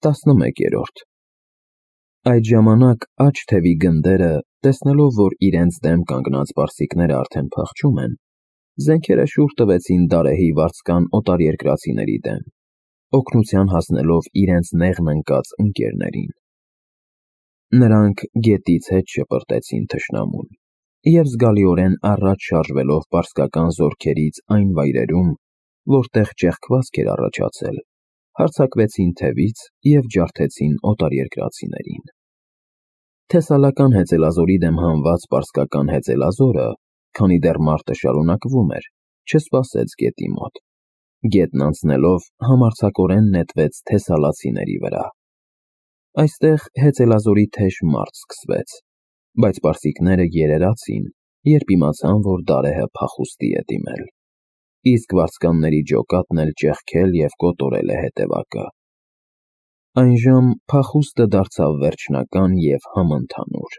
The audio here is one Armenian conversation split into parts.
11-րդ Այդ ժամանակ աջ թևի գնդերը, տեսնելով, որ իրենց դեմ կանգնած պարսիկները արդեն փախչում են, զենքերը շուռ տվեցին Դարեհի վարձկան օտարերկրացիների դեմ, օգնության հասնելով իրենց նեղն ընկած ընկերներին։ Նրանք գետից հետ շպրտեցին թշնամուն և զգալիորեն առաջ շարժվելով պարսկական զորքերից այն վայրերում, որտեղ ճեղքվածք էր առաջացել, հարձակվեցին թևից և ջարդեցին օտարերկրացիներին։ Թեսալական հեծելազորի դեմ հանված պարսկական հեծելազորը, քանի դեռ մարտը շարունակվում էր, չսպասեց գետի մոտ։ Գետն անցնելով համարձակորեն նետվեց թեսալացիների վրա։ Այստեղ հեծելազորի թեժ մարտ սկսվեց, բայց պարսիկները երերացին, երբ իմացան, որ Դարեհը փախուստի է դիմել, իսկ վարձկանների ջոկատն էլ ճեղքել և կոտորել է հետևակը։ Այժմ փախուստը դարձավ վերջնական և համընդհանուր։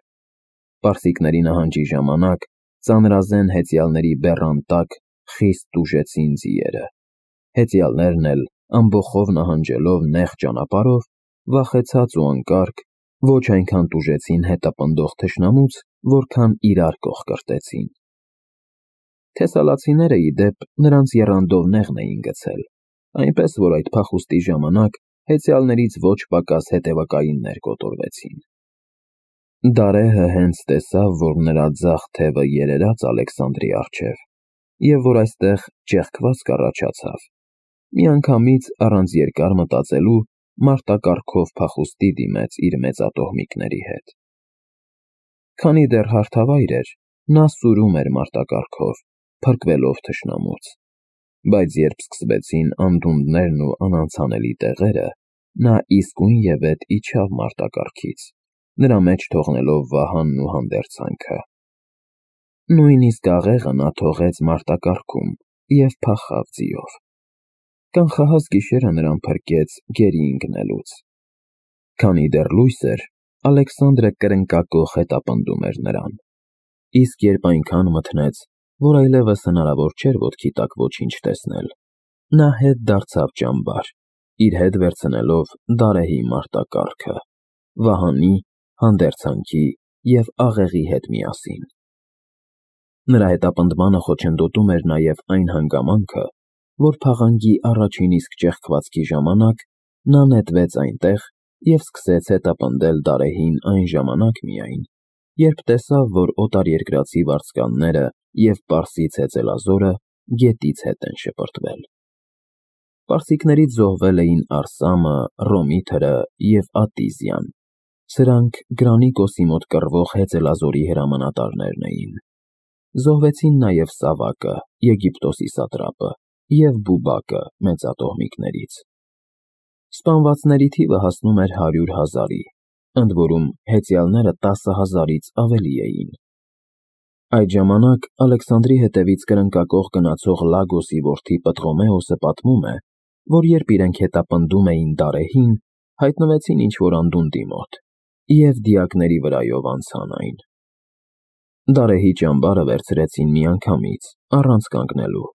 Պարսիկների նահանջի ժամանակ ծանրազեն հեծյալների բեռան տակ խիստ տուժեցին ձիերը։ Հեծյալներն էլ, ամբոխով նահանջելով նեղ ճանապարհով, վախեցած ու անկարգ, ոչ այնքան տուժեցին հետապնդող թշնամուց, որքան իրար կողկրտեցին։ Թեսալացիները, ի դեպ, նրանց եռանդով նեղն էին գցել, այնպես որ այդ փախուստի ժամանակ հեծյալներից ոչ պակաս հետևակայիններ կոտորվեցին։ Դարեհը հենց տեսավ, որ նրա ձախ թևը երերաց Ալեքսանդրի առջև, և որ այստեղ ճեղքվածք առաջացավ, միանգամից առանց երկար մտածելու մարտակառքով փախուստի դիմեց իր մեծատոհմիկների հետ։ Քանի դեռ հարթավայր էր, նա սուրում էր մարտակառքով, փրկվելով թշնամուց, բայց երբ սկսվեցին անդունդներն ու անանցանելի տեղերը, նա իսկույնևեթ իջավ մարտակառքից, նրա մեջ թողնելով վահանն ու հանդերձանքը։ Նույնիսկ աղեղը նա թողեց մարտակառքում և փախավ ձիով։ Կանխահաս գիշերը նրան փրկեց գերի ընկնելուց։ Քանի դեռ լույս էր, Ալեքսանդրը կրնկակոխ հետապնդում էր նրան, իսկ երբ այնքան մթնեց, որ այլևս հնարավոր չէր ոտքի տակ ոչինչ տեսնել, նա հետ դարձավ ճամբար, իր հետ վերցնելով Դարեհի մարտակառքը, վահանի, հանդերձանքի և աղեղի հետ միասին։ Նրա հետապնդմանը խոչընդոտում էր նաև այն հանգամանքը, որ փաղանգի առաջին իսկ ճեղքվածքի ժամանակ նա նետվեց այնտեղ և սկսեց հետապնդել Դարեհին այն ժամանակ միայն, երբ տեսավ, որ օտարերկրացի վարձկանները և պարսից հեծելազորը գետից հետ են շպրտվել։ Պարսիկներից զոհվել էին Արսամը, Ռոմիթրը և Ատիզյան, սրանք Գրանիկոսի մոտ կռվող հեծելազորի հրամանատարներն էին։ Զոհվեցին նաև Սավակը, Եգիպտոսի սատրապը, և Բուբակը մեծատոհմիկներից։ Սպանվածների թիվը հասնում էր 100,000-ի, ընդ որում հեծյալները 10,000-ից ավելի էին։ Այդ ժամանակ Ալեքսանդրի հետևից կրնկակոխ գնացող Լագոսի որդի Պտղոմեոսը պատմում է, որ երբ իրենք հետապնդում էին Դարեհին, հայտնվեցին ինչ-որ անդունդի մոտ և դիակների վրայով անցան այն։ Դարեհի ճամբարը վերցրեցին միանգամից, առանց կանգնելու։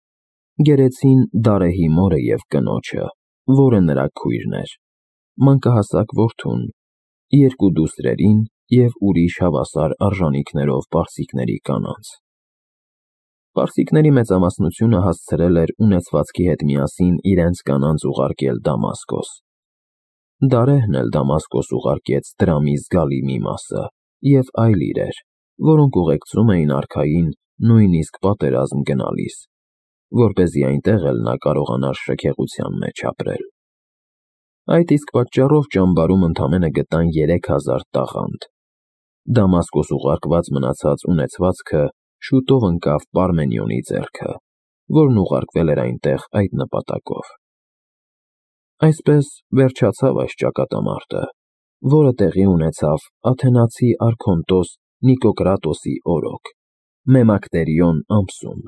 Գերեցին Դարեհի մորը և կնոջը, որը նրա քույրն էր, մանկահասակ որդուն, երկու դուստրերին և ուրիշ հավասար արժանիքներով պարսիկների կանանց։ Պարսիկների մեծամասնությունը հասցրել էր ունեցվածքի հետ միասին իրենց կանանց ուղարկել Դամասկոս։ Դարեհն էլ Դամասկոս ուղարկեց դրամի զգալի մի մասը և այլ իրեր, որոնք ուղեկցում էին արքային նույնիսկ պատերազմ գնալիս, որպեսզի այնտեղ էլ նա կարողանար շքեղության մեջ ապրել։ Այդ իսկ պատճառով ճամբարում ընդամենը գտան 3000 տաղանդ։ Դամասկոս ուղարկված մնացած ունեցվածքը շուտով ընկավ Պարմենիոնի ձեռքը, որն ուղարկվել էր այնտեղ այդ նպատակով։ Այսպես վերջացավ այս ճակատամարտը, որը տեղի ունեցավ աթենացի արքոնտոս Նիկոկրատոսի օրոք, Մեմակտերիոն ամսում։